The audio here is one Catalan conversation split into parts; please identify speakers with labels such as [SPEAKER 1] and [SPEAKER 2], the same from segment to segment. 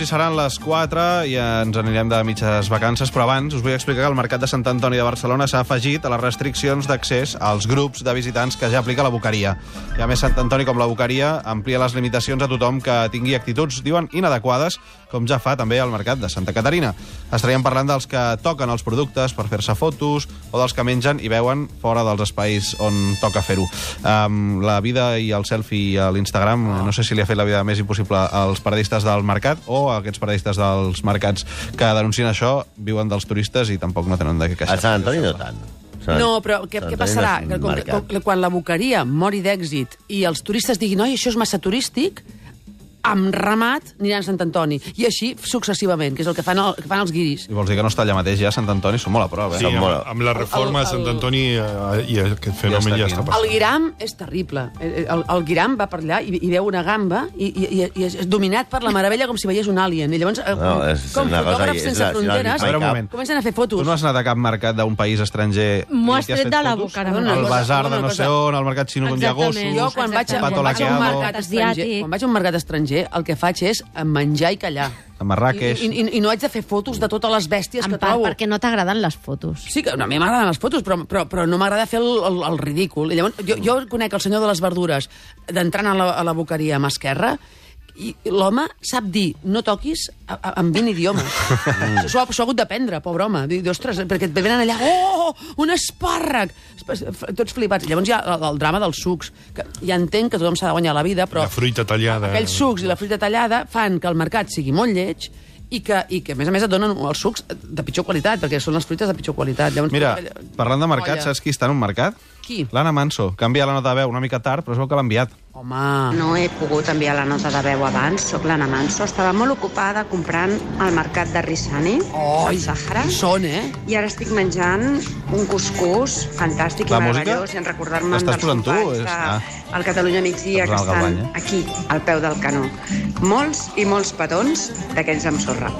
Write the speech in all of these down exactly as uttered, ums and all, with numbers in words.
[SPEAKER 1] i seran les quatre i ens anirem de mitges vacances, però abans us vull explicar que el Mercat de Sant Antoni de Barcelona s'ha afegit a les restriccions d'accés als grups de visitants que ja aplica la Boqueria. I a més, Sant Antoni, com la Boqueria, amplia les limitacions a tothom que tingui actituds, diuen, inadequades, com ja fa també el Mercat de Santa Caterina. Estaríem parlant dels que toquen els productes per fer-se fotos o dels que mengen i veuen fora dels espais on toca fer-ho. Um, la vida i el selfie a l'Instagram, no sé si li ha fet la vida més impossible als paradistes del mercat o a aquests paradistes dels mercats que denuncien això, viuen dels turistes i tampoc no tenen de què queixar.
[SPEAKER 2] A Sant Antoni no tant.
[SPEAKER 3] No, però què, què passarà? Que, com, que, quan la Boqueria mori d'èxit i els turistes diguin oi, això és massa turístic, amb ramat aniran a Sant Antoni. I així successivament, que és el que fan, el, que fan els guiris.
[SPEAKER 1] I vols dir que no està allà mateix ja Sant Antoni? Són molt a prop, eh?
[SPEAKER 4] Sí, amb,
[SPEAKER 2] molt...
[SPEAKER 4] amb la reforma de Sant Antoni eh, i aquest fenomen ja està, ja està passant.
[SPEAKER 3] El Guiram és terrible. El, el Guiram va per allà i, i veu una gamba i, i, i, i és dominat per la meravella com si veiés un alien. I llavors, no, és com fotògrafs sense fronteres,
[SPEAKER 1] a veure, un moment.
[SPEAKER 3] Comencen a fer fotos.
[SPEAKER 1] Tu no has anat a cap mercat d'un país estranger?
[SPEAKER 5] M'ho has tret de la boca.
[SPEAKER 1] El bazar de no sé on, el mercat xino d'un hi ha gossos...
[SPEAKER 3] Jo, quan vaig a un mercat estranger, quan vaig a un mercat estranger, el que faig és a menjar i callar.
[SPEAKER 1] A Marràqueix.
[SPEAKER 3] I, i, I no haig de fer fotos de totes les bèsties
[SPEAKER 5] en
[SPEAKER 3] que
[SPEAKER 5] part
[SPEAKER 3] trobo.
[SPEAKER 5] perquè no t'agraden les fotos.
[SPEAKER 3] Sí, que a mi m'agraden les fotos, però, però, però no m'agrada fer el, el, el ridícul. I llavors, jo, jo conec el senyor de les verdures d'entrant a, la, a la Boqueria a mà esquerra i l'home sap dir no toquis a, a, en vint idiomes. S'ho ha, ha hagut d'aprendre, pobre home. Diu, ostres, perquè et venen allà, oh, un espàrrec! Tots flipats. Llavors hi ha el, el drama dels sucs, que ja entenc que tothom s'ha de guanyar la vida, però...
[SPEAKER 4] La fruita tallada.
[SPEAKER 3] Aquells sucs i la fruita tallada fan que el mercat sigui molt lleig i que, i que a més a més, et donen els sucs de pitjor qualitat, perquè són les fruites de pitjor qualitat. Llavors,
[SPEAKER 1] mira, parlant de mercat, saps qui està en un mercat?
[SPEAKER 3] Qui?
[SPEAKER 1] L'Anna Manso. Canvia la nota de veu una mica tard, però es veu que l'ha enviat.
[SPEAKER 3] Home...
[SPEAKER 6] No he pogut enviar la nota de veu abans, soc l'Anna Manso. Estava molt ocupada comprant al mercat de Rissani,
[SPEAKER 3] oh,
[SPEAKER 6] al Sàhara.
[SPEAKER 3] Són, eh?
[SPEAKER 6] I ara estic menjant un cuscús fantàstic
[SPEAKER 1] la
[SPEAKER 6] i meravellós, i en recordar-me dels companys de
[SPEAKER 1] ah.
[SPEAKER 6] el Catalunya Migdia, que estan Galvany, eh? aquí, al peu del canó. Molts i molts petons d'aquells amb sorra.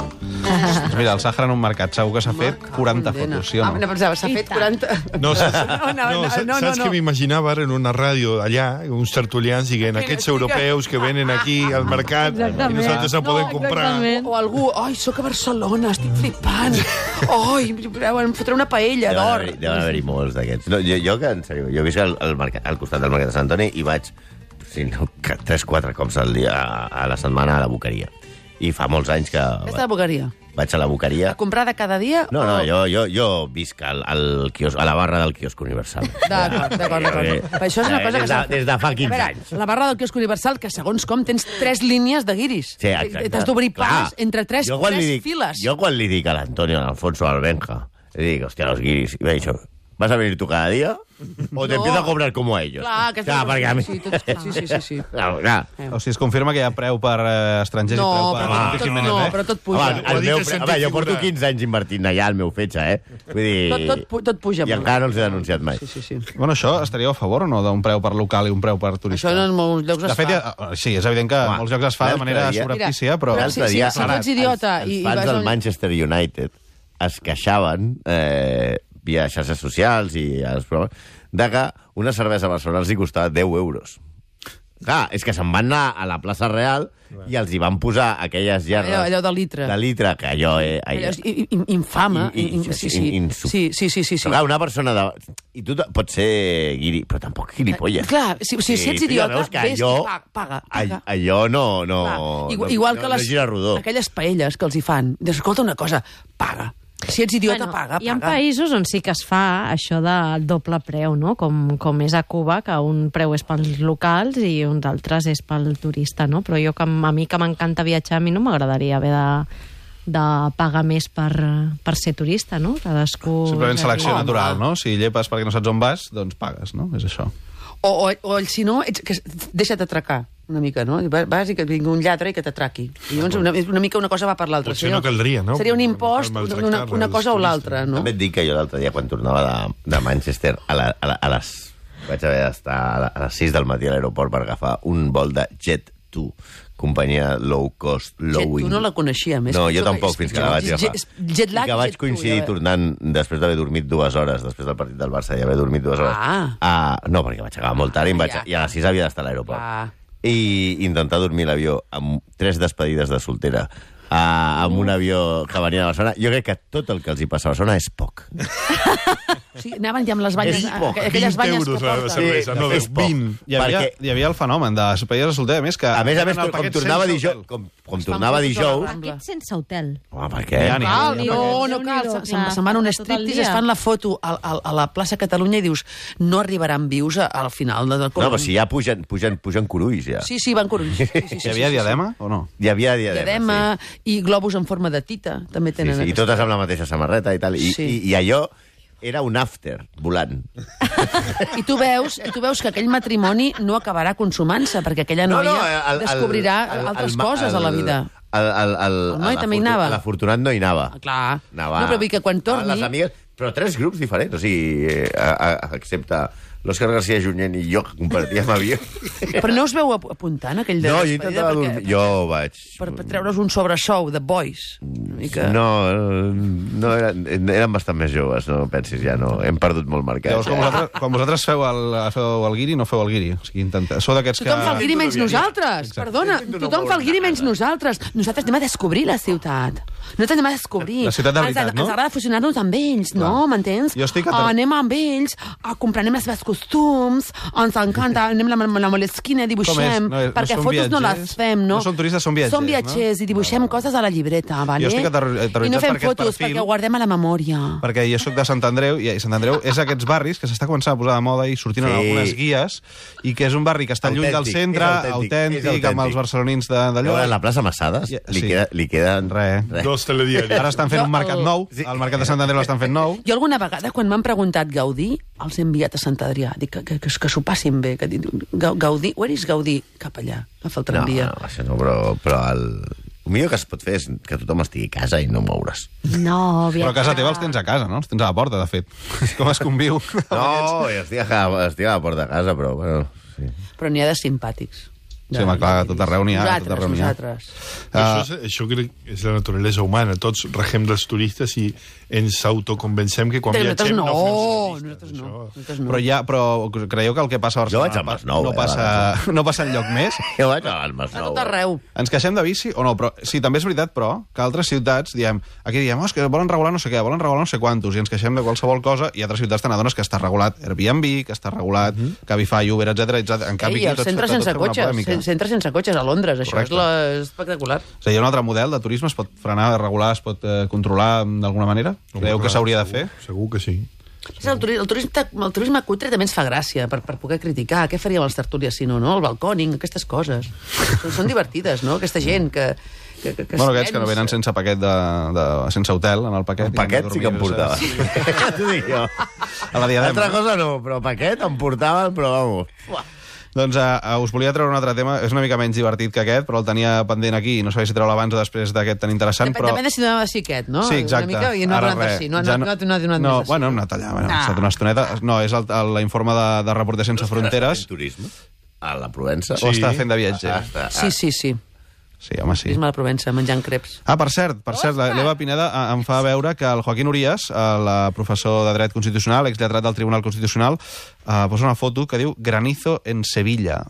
[SPEAKER 1] Doncs mira, el Sàhara en un mercat segur que s'ha fet quaranta
[SPEAKER 3] condena.
[SPEAKER 1] fotos, sí o no?
[SPEAKER 3] Ah, no pensava, s'ha fet quaranta...
[SPEAKER 4] No, saps,
[SPEAKER 3] no, no, no,
[SPEAKER 4] saps,
[SPEAKER 3] no, no,
[SPEAKER 4] saps
[SPEAKER 3] no.
[SPEAKER 4] que m'imaginava en una ràdio allà, uns tertulians dient aquests europeus que venen aquí al mercat
[SPEAKER 5] exactament.
[SPEAKER 4] I nosaltres no poden comprar.
[SPEAKER 5] Exactament.
[SPEAKER 3] O algú, ai, sóc a Barcelona, estic flipant. Ai, em fotré una paella d'or.
[SPEAKER 2] Deuen haver-hi molts d'aquests. No, jo, jo, que, en sèrio, jo visc al, al, mercat, al costat del mercat de Sant Antoni i vaig si no, tres quatre cops al dia a la setmana a la Boqueria. I fa molts anys que...
[SPEAKER 3] Aquesta de Boqueria.
[SPEAKER 2] Vaig a la Boqueria.
[SPEAKER 3] A comprar de cada dia?
[SPEAKER 2] No, no,
[SPEAKER 3] o...
[SPEAKER 2] jo, jo, jo visc al, al quios, a la barra del quiosc Universal.
[SPEAKER 3] D'acord, d'acord, d'acord. Però això és una cosa
[SPEAKER 2] des de,
[SPEAKER 3] que...
[SPEAKER 2] Des de fa quinze
[SPEAKER 3] veure,
[SPEAKER 2] anys.
[SPEAKER 3] La barra del quiosc Universal, que segons com tens tres línies de guiris.
[SPEAKER 2] Sí, exacte.
[SPEAKER 3] T'has d'obrir pas entre tres, tres
[SPEAKER 2] dic,
[SPEAKER 3] files.
[SPEAKER 2] Jo quan li dic a l'Antonio, a l'Alfonso, al Benja, li dic, hòstia, los guiris, i m'ha dit, ¿vas a venir tú cada día? O te no. empiezo a cobrar como a ellos.
[SPEAKER 3] Clar, que
[SPEAKER 2] clar, perquè a mi...
[SPEAKER 3] sí, tot, sí, sí, sí, sí.
[SPEAKER 2] Clar, clar.
[SPEAKER 1] O sigui, es confirma que hi ha preu per eh, estrangers
[SPEAKER 3] no,
[SPEAKER 1] i preu per...
[SPEAKER 3] Però tot, tot, no,
[SPEAKER 1] eh?
[SPEAKER 3] però tot puja.
[SPEAKER 2] Home, el meu, home, jo porto quinze anys invertint allà al meu fetge, eh? Vull dir...
[SPEAKER 3] Tot, tot, tot puja.
[SPEAKER 2] I encara no els he denunciat mai.
[SPEAKER 3] Sí, sí, sí.
[SPEAKER 1] Bueno, això estaria a favor o no, d'un preu per local i un preu per turista?
[SPEAKER 3] Això en molts llocs es
[SPEAKER 1] de fet,
[SPEAKER 3] fa.
[SPEAKER 1] Ja, sí, és evident que en molts llocs es fa de manera subreptícia, però...
[SPEAKER 3] Mira, si, si, si tu ets idiota...
[SPEAKER 2] Els, els fans del Manchester United es queixaven eh, via xarxes socials i els programes de que una cervesa a Barcelona els hi costava deu euros. Clar, és que se'n van anar a la plaça Real i els hi van posar aquelles gerres...
[SPEAKER 3] Allò, allò de litre.
[SPEAKER 2] De litre, que allò... Eh,
[SPEAKER 3] allò és infame.
[SPEAKER 2] I, i,
[SPEAKER 3] sí, sí.
[SPEAKER 2] In,
[SPEAKER 3] sí, sí, sí, sí, sí.
[SPEAKER 2] Clar, una persona de... I tu pots ser guiri, però tampoc gilipolles.
[SPEAKER 3] Clar, si, si, si ets idiota, ves
[SPEAKER 2] allò,
[SPEAKER 3] paga, paga, paga.
[SPEAKER 2] Allò no... no
[SPEAKER 3] igual, igual
[SPEAKER 2] no,
[SPEAKER 3] que les,
[SPEAKER 2] no
[SPEAKER 3] aquelles paelles que els hi fan. Escolta una cosa, paga. Si ets idiota, bueno, paga, paga.
[SPEAKER 5] Hi ha països on sí que es fa això del doble preu, no? Com, com és a Cuba, que un preu és pels locals i un d'altres és pel turista, no? Però jo, que a mi que m'encanta viatjar, a mi no m'agradaria haver de, de pagar més per, per ser turista, no? Cadascú...
[SPEAKER 1] Simplement selecció
[SPEAKER 3] Home.
[SPEAKER 1] natural, no? Si llepes perquè no saps on vas, doncs pagues, no? És això.
[SPEAKER 3] O, o, o si no, ets, que deixa't atracar una mica, no? Vas i que vingui un lladre i que t'atraqui. I llavors una, una mica una cosa va per l'altra.
[SPEAKER 4] Potser no caldria, no?
[SPEAKER 3] Seria un impost, una, una cosa o l'altra, no?
[SPEAKER 2] També et dic que jo l'altre dia, quan tornava de, de Manchester, a, la, a, la, a les... vaig haver d'estar a, a les sis del matí a l'aeroport per agafar un vol de Jet two, companyia low cost, low
[SPEAKER 3] Jet, tu no la coneixia, més.
[SPEAKER 2] No, jo tampoc, fins que la vaig agafar.
[SPEAKER 3] Jet lag,
[SPEAKER 2] I que vaig coincidir
[SPEAKER 3] ja
[SPEAKER 2] tornant després d'haver dormit dues hores, després del partit del Barça i haver dormit dues hores.
[SPEAKER 3] Ah.
[SPEAKER 2] Ah, no, perquè vaig acabar molt tard i, em vaig,
[SPEAKER 3] ja.
[SPEAKER 2] i a les sis havia d'estar a l'aeroport.
[SPEAKER 3] Ah.
[SPEAKER 2] I intentar dormir a l'avió amb tres despedides de soltera a, amb un avió que venia de Barcelona. Jo crec que tot el que els hi passa a Barcelona és poc.
[SPEAKER 3] Sí, anaven ja amb les banyes,
[SPEAKER 2] És poc.
[SPEAKER 3] aquelles
[SPEAKER 4] vint
[SPEAKER 3] banyes
[SPEAKER 4] euros
[SPEAKER 3] que
[SPEAKER 4] la
[SPEAKER 3] porten.
[SPEAKER 4] cervesa, no,
[SPEAKER 2] és poc.
[SPEAKER 4] vint.
[SPEAKER 1] Hi havia,
[SPEAKER 2] Perquè-
[SPEAKER 1] hi havia el fenomen de despedides de solter, a més que...
[SPEAKER 2] A més a més,
[SPEAKER 1] el
[SPEAKER 2] com
[SPEAKER 1] paquet
[SPEAKER 2] tornava
[SPEAKER 1] sense
[SPEAKER 2] dijous...
[SPEAKER 1] hotel.
[SPEAKER 2] Com, com
[SPEAKER 3] Es fan
[SPEAKER 2] tornava
[SPEAKER 3] fotos a la
[SPEAKER 2] dijous...
[SPEAKER 3] Rambla.
[SPEAKER 5] Aquest sense hotel.
[SPEAKER 2] Home, per què?
[SPEAKER 1] Ja n'hi ha.
[SPEAKER 3] Cal,
[SPEAKER 5] Déu-n'hi-do,
[SPEAKER 3] no, no
[SPEAKER 5] Déu-n'hi-do,
[SPEAKER 3] cal.
[SPEAKER 5] o
[SPEAKER 3] Se'n
[SPEAKER 5] sea,
[SPEAKER 3] se'n van a un
[SPEAKER 5] tot el
[SPEAKER 3] striptease,
[SPEAKER 5] dia.
[SPEAKER 3] es fan la foto a, a, a la plaça Catalunya i dius, no arribaran vius a- al final del
[SPEAKER 2] No, però si ja pugen, pugen, pugen curulls, ja.
[SPEAKER 3] Sí, sí, van corulls. Sí, sí, sí,
[SPEAKER 1] Hi havia
[SPEAKER 3] sí, sí,
[SPEAKER 1] diadema o no?
[SPEAKER 2] Hi havia diadema,
[SPEAKER 3] Diadema i globus en forma de tita, també
[SPEAKER 2] sí.
[SPEAKER 3] tenen.
[SPEAKER 2] Sí, sí, i
[SPEAKER 3] aquesta-
[SPEAKER 2] totes amb la mateixa samarreta i tal. I,
[SPEAKER 3] Sí.
[SPEAKER 2] i, i allò era un after, volant.
[SPEAKER 3] I tu veus, tu veus que aquell matrimoni no acabarà consumant-se, perquè aquella noia
[SPEAKER 2] el- el-
[SPEAKER 3] descobrirà
[SPEAKER 2] el-
[SPEAKER 3] altres
[SPEAKER 2] el ma-
[SPEAKER 3] coses a la vida.
[SPEAKER 2] El, el, el,
[SPEAKER 3] El noi
[SPEAKER 2] el
[SPEAKER 3] també hi
[SPEAKER 2] afortu-
[SPEAKER 3] anava.
[SPEAKER 2] L'afortunat no hi anava.
[SPEAKER 3] Ah, clar.
[SPEAKER 2] Anava,
[SPEAKER 3] No, però vull dir que quan
[SPEAKER 2] anava
[SPEAKER 3] torni-
[SPEAKER 2] Les amigues, però tres grups diferents, o sigui, eh, a, a, excepte l'Òscar García Junyent i jo, que compartíem avió.
[SPEAKER 3] Però no us veu ap- apuntant aquell de
[SPEAKER 2] No, jo
[SPEAKER 3] despedida?
[SPEAKER 2] intentava
[SPEAKER 3] Perquè-
[SPEAKER 2] dormir. Jo vaig...
[SPEAKER 3] Per, per treure's un sobresou de boys. Una mica.
[SPEAKER 2] No, no eren, eren bastant més joves, no pensis, ja no. Hem perdut molt mercat.
[SPEAKER 1] Llavors, quan vosaltres, quan vosaltres feu, el, feu el guiri, no feu el guiri. O sigui, intenta... Sou d'aquests que...
[SPEAKER 3] Tothom fa el guiri menys nosaltres.
[SPEAKER 1] Exacte.
[SPEAKER 3] Perdona,
[SPEAKER 2] Intento no
[SPEAKER 3] tothom fa el guiri
[SPEAKER 2] moure
[SPEAKER 3] menys
[SPEAKER 2] nada.
[SPEAKER 3] nosaltres. Nosaltres anem a descobrir la ciutat. Nosaltres anem a descobrir.
[SPEAKER 1] La ciutat de
[SPEAKER 3] Ens-
[SPEAKER 1] veritat, no?
[SPEAKER 3] Ens agrada fusionar-nos amb ells, no? M'entens?
[SPEAKER 1] Jo estic a ter-
[SPEAKER 3] Anem amb ells, a comprarem els seus costums, ens encanta, anem a la, la molesquina, dibuixem,
[SPEAKER 1] No és- no
[SPEAKER 3] perquè
[SPEAKER 1] són
[SPEAKER 3] fotos no
[SPEAKER 1] viatgers?
[SPEAKER 3] les fem, no?
[SPEAKER 1] No són turistes, són viatgers,
[SPEAKER 3] Són viatgers i dibuixem coses a la llibreta, vale?
[SPEAKER 1] estic aterro- aterroritzat
[SPEAKER 3] I no fem
[SPEAKER 1] per aquest
[SPEAKER 3] fotos,
[SPEAKER 1] perfil.
[SPEAKER 3] perquè ho guardem a la memòria.
[SPEAKER 1] Perquè jo sóc de Sant Andreu, i Sant Andreu és aquests barris que s'està començant a posar de moda i sortint
[SPEAKER 2] Sí.
[SPEAKER 1] en algunes guies, i que és un barri que està lluny del
[SPEAKER 2] Autèntic,
[SPEAKER 1] centre,
[SPEAKER 2] és autèntic,
[SPEAKER 1] autèntic,
[SPEAKER 2] és autèntic.
[SPEAKER 1] amb els barcelonins de- d'allò.
[SPEAKER 2] Llavors, la plaça Massades
[SPEAKER 1] Ja,
[SPEAKER 2] li,
[SPEAKER 1] sí.
[SPEAKER 2] queda, li queden...
[SPEAKER 1] Res.
[SPEAKER 4] Dos telediaris.
[SPEAKER 1] Ara estan fent
[SPEAKER 3] Jo
[SPEAKER 1] un mercat
[SPEAKER 3] el-
[SPEAKER 1] nou, el mercat de Sant Andreu l'estan fent nou.
[SPEAKER 3] Jo alguna vegada, quan m'han preguntat Gaudí, els he enviat a Sant Adrià. Dic que, que, que, que s'ho passin bé. Que, Ga- Gaudí, where is Gaudí? Cap allà, agafa el
[SPEAKER 2] No,
[SPEAKER 3] tramvia.
[SPEAKER 2] no, això no, però, però el... el millor que es pot fer és que tothom estigui a casa i no moure's.
[SPEAKER 5] No,
[SPEAKER 1] Però a casa teva els tens a casa, no? Els tens a la porta, de fet. Com es conviu?
[SPEAKER 2] No, jo estic a, estic a la porta de casa, però... Bueno, sí.
[SPEAKER 3] Però n'hi ha de simpàtics.
[SPEAKER 1] Sí, home, clar, a tot arreu n'hi ha, a tot
[SPEAKER 3] Nosaltres,
[SPEAKER 1] arreu n'hi ha.
[SPEAKER 3] nosaltres.
[SPEAKER 4] Això, és, això crec que és la naturalesa humana. Tots regem dels turistes i ens autoconvencem que quan
[SPEAKER 3] Nosaltres
[SPEAKER 4] viatgem
[SPEAKER 3] no,
[SPEAKER 4] no fem turistes.
[SPEAKER 3] nosaltres no.
[SPEAKER 4] Això.
[SPEAKER 3] Nosaltres no.
[SPEAKER 1] Però, ja, però creieu que el que passa a
[SPEAKER 2] Jo
[SPEAKER 1] Barcelona
[SPEAKER 2] vaig al Masnou,
[SPEAKER 1] no,
[SPEAKER 2] eh,
[SPEAKER 1] passa, no passa enlloc més?
[SPEAKER 2] Jo vaig al
[SPEAKER 3] A
[SPEAKER 2] Masnou.
[SPEAKER 3] tot arreu.
[SPEAKER 1] Ens queixem de bici o no? Però, sí, també és veritat, però, que altres ciutats diem, aquí diem, oh, és que volen regular no sé què, volen regular no sé quantos, i ens queixem de qualsevol cosa, i altres ciutats te n'adones que està regulat Airbnb, que està regulat Cabify, Uber, etcètera. En canvi,
[SPEAKER 3] Ei,
[SPEAKER 1] aquí
[SPEAKER 3] els
[SPEAKER 1] tot,
[SPEAKER 3] centres
[SPEAKER 1] tot
[SPEAKER 3] sense
[SPEAKER 1] fem una
[SPEAKER 3] cotxes,
[SPEAKER 1] polèmica.
[SPEAKER 3] cen- centres sense cotxes a Londres, això
[SPEAKER 1] Correcte.
[SPEAKER 3] és la... espectacular.
[SPEAKER 1] O sigui, hi ha un altre model de turisme, es pot frenar, regular, es pot eh, controlar d'alguna manera? Creieu que
[SPEAKER 4] Clar,
[SPEAKER 1] s'hauria de
[SPEAKER 4] segur,
[SPEAKER 1] fer?
[SPEAKER 4] Segur que sí.
[SPEAKER 3] És el, turisme, el, turisme, el turisme cutre també ens fa gràcia per, per poder criticar. Què faríem els tertúlies si no, no? El balcòning, aquestes coses. Són, són divertides, no? Aquesta gent que... que, que, que
[SPEAKER 1] Bueno,
[SPEAKER 3] es
[SPEAKER 1] aquests que no
[SPEAKER 3] pensa.
[SPEAKER 1] venen sense paquet de, de, sense hotel, en el paquet.
[SPEAKER 2] El paquet sí que em portava.
[SPEAKER 1] Sí.
[SPEAKER 2] T'ho dic jo.
[SPEAKER 1] A la diadema.
[SPEAKER 2] Altra cosa no, però paquet em portaven, però vamos.
[SPEAKER 1] Doncs uh, us volia treure un altre tema, és una mica menys divertit que aquest, però el tenia pendent aquí, no sabia si treure abans o després d'aquest tan interessant,
[SPEAKER 3] Depèn,
[SPEAKER 1] però...
[SPEAKER 3] depèn de si donava sí aquest, no?
[SPEAKER 1] Sí, exacte.
[SPEAKER 3] Una mica, i no ha
[SPEAKER 1] Ara
[SPEAKER 3] donat
[SPEAKER 1] res.
[SPEAKER 3] així. No,
[SPEAKER 1] Ja
[SPEAKER 3] no, no, no, no, no,
[SPEAKER 1] no,
[SPEAKER 3] no,
[SPEAKER 1] bueno, hem anat allà, bueno,
[SPEAKER 3] Ah.
[SPEAKER 1] ha estat una estoneta. No, és el- el- l'informe de, de Reporters Sense Fronteres,
[SPEAKER 2] Turisme a la Provença.
[SPEAKER 1] o està fent de viatger.
[SPEAKER 2] Ah, està,
[SPEAKER 3] Sí, sí, sí.
[SPEAKER 1] Sí, home, sí.
[SPEAKER 3] Turisme a la Provença, menjant creps.
[SPEAKER 1] Ah, per cert, per cert, la- l'Eva Pineda eh, em fa veure que el Joaquín Urías, el professor de dret constitucional, exlletrat del Tribunal Constitucional, eh, posa una foto que diu Granizo en Sevilla.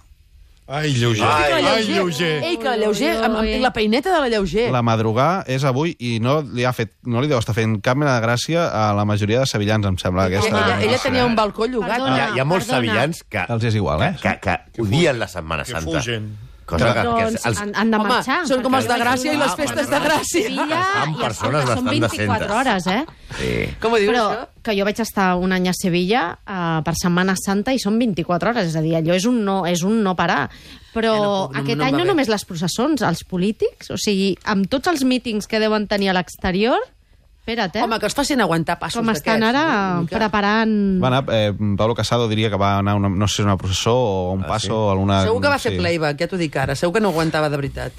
[SPEAKER 4] Ai, lleuger.
[SPEAKER 2] Ai,
[SPEAKER 4] Ai, lleuger.
[SPEAKER 3] Ei, que la lleuger, amb, amb la peineta de la lleuger.
[SPEAKER 1] La madrugà és avui i no li ha fet, no li deu estar fent cap mena de gràcia a la majoria de sevillans, em sembla.
[SPEAKER 3] Ella,
[SPEAKER 1] Aquesta,
[SPEAKER 3] ella, ella tenia un balcó llogat.
[SPEAKER 5] Perdona.
[SPEAKER 2] Hi ha, hi ha molts
[SPEAKER 5] Perdona.
[SPEAKER 2] sevillans que,
[SPEAKER 1] Els és igual, eh?
[SPEAKER 2] que, que odien la Setmana
[SPEAKER 4] Que
[SPEAKER 2] Santa.
[SPEAKER 4] fugen.
[SPEAKER 2] Cosa que, que
[SPEAKER 5] Doncs
[SPEAKER 2] els,
[SPEAKER 5] han, han de
[SPEAKER 3] Home,
[SPEAKER 5] marxar.
[SPEAKER 3] són com els de
[SPEAKER 5] perquè
[SPEAKER 3] Gràcia i les
[SPEAKER 2] Ah,
[SPEAKER 3] festes de
[SPEAKER 2] perdona.
[SPEAKER 3] Gràcia.
[SPEAKER 5] Sevilla,
[SPEAKER 2] Estan
[SPEAKER 5] i
[SPEAKER 2] persones
[SPEAKER 5] escolta, són
[SPEAKER 2] bastant
[SPEAKER 5] vint-i-quatre
[SPEAKER 2] decentes.
[SPEAKER 5] hores, eh?
[SPEAKER 2] sí.
[SPEAKER 3] Com ho dius,
[SPEAKER 5] Però
[SPEAKER 3] això?
[SPEAKER 5] que jo vaig estar un any a Sevilla uh, per Setmana Santa i són vint-i-quatre hores, és a dir, allò és un no, és un no parar. Però
[SPEAKER 3] Eh, no puc, no-
[SPEAKER 5] aquest
[SPEAKER 3] no em
[SPEAKER 5] any
[SPEAKER 3] va
[SPEAKER 5] no
[SPEAKER 3] bé.
[SPEAKER 5] només les processons, els polítics, o sigui, amb tots els mítings que deuen tenir a l'exterior, espera't, eh?
[SPEAKER 3] Home, que els facin aguantar passos
[SPEAKER 5] Com estan
[SPEAKER 3] d'aquests,
[SPEAKER 5] ara
[SPEAKER 3] no? Una mica.
[SPEAKER 5] preparant...
[SPEAKER 1] Va anar, eh, Pablo Casado diria que va anar, a una, no sé si una processó o un
[SPEAKER 2] Ah,
[SPEAKER 1] passo
[SPEAKER 2] sí?
[SPEAKER 1] o alguna...
[SPEAKER 3] Segur que va fer
[SPEAKER 1] sí.
[SPEAKER 3] playback, ja t'ho dic ara. Segur que no aguantava de veritat.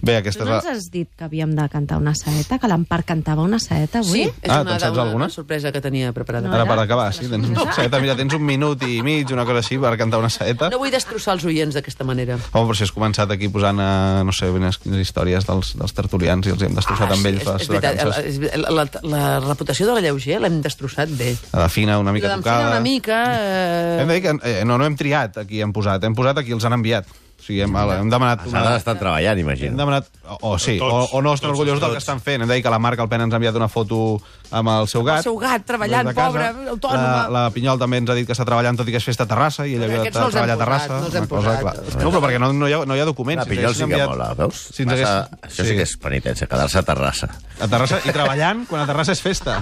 [SPEAKER 1] Bé,
[SPEAKER 5] Tu
[SPEAKER 1] aquesta és
[SPEAKER 5] no
[SPEAKER 1] la...
[SPEAKER 5] ens has dit que havíem de cantar una saeta, que l'Empar cantava una saeta avui?
[SPEAKER 3] Sí, és
[SPEAKER 1] Ah,
[SPEAKER 3] una,
[SPEAKER 1] te'n saps
[SPEAKER 3] una,
[SPEAKER 1] alguna?
[SPEAKER 3] una sorpresa que tenia preparada.
[SPEAKER 5] No.
[SPEAKER 1] Ara
[SPEAKER 5] era?
[SPEAKER 1] per acabar, sí, tens, una saeta, mira, tens un minut i mig, una cosa així, per cantar una saeta.
[SPEAKER 3] No vull destrossar els oients d'aquesta manera.
[SPEAKER 1] Home, però si has començat aquí posant, eh, no sé, quines, quines històries dels, dels tertulians i els hem destrossat amb ells
[SPEAKER 3] Ah, és,
[SPEAKER 1] les
[SPEAKER 3] és veritat,
[SPEAKER 1] vacances.
[SPEAKER 3] és, la, la, la reputació de la lleuger l'hem destrossat bé.
[SPEAKER 1] La de fina una mica
[SPEAKER 3] La d'en Fina
[SPEAKER 1] tocada.
[SPEAKER 3] una mica... Eh...
[SPEAKER 1] Hem de dir que eh, no, no hem triat aquí, hem posat, hem posat aquí, els han enviat. O sigui, hem, hem demanat...
[SPEAKER 2] S'ha d'estar treballant,
[SPEAKER 1] Hem
[SPEAKER 2] imagino.
[SPEAKER 1] demanat... O, o sí, o,
[SPEAKER 4] Tots,
[SPEAKER 1] o no estan
[SPEAKER 4] tots,
[SPEAKER 1] orgullosos del
[SPEAKER 4] tots.
[SPEAKER 1] que estan fent. Hem de dir que la Marc Alpena ens ha enviat una foto amb el seu gat.
[SPEAKER 3] El seu gat, treballant,
[SPEAKER 1] des de casa.
[SPEAKER 3] pobre, autònoma.
[SPEAKER 1] La, la Pinyol també ens ha dit que està treballant, tot i que és festa a Terrassa, i ella havia de
[SPEAKER 3] Aquests no els hem
[SPEAKER 1] treballar a
[SPEAKER 3] posat,
[SPEAKER 1] Terrassa.
[SPEAKER 3] no els hem
[SPEAKER 1] una cosa,
[SPEAKER 3] posat.
[SPEAKER 1] clar. No, però perquè no, no, hi, ha, no hi ha documents.
[SPEAKER 2] La Pinyol sí que mola, veus?
[SPEAKER 1] Si ens
[SPEAKER 2] Massa-
[SPEAKER 1] hagués-
[SPEAKER 2] Això sí que és penitència, quedar-se a Terrassa.
[SPEAKER 1] A Terrassa, i treballant quan a Terrassa és festa.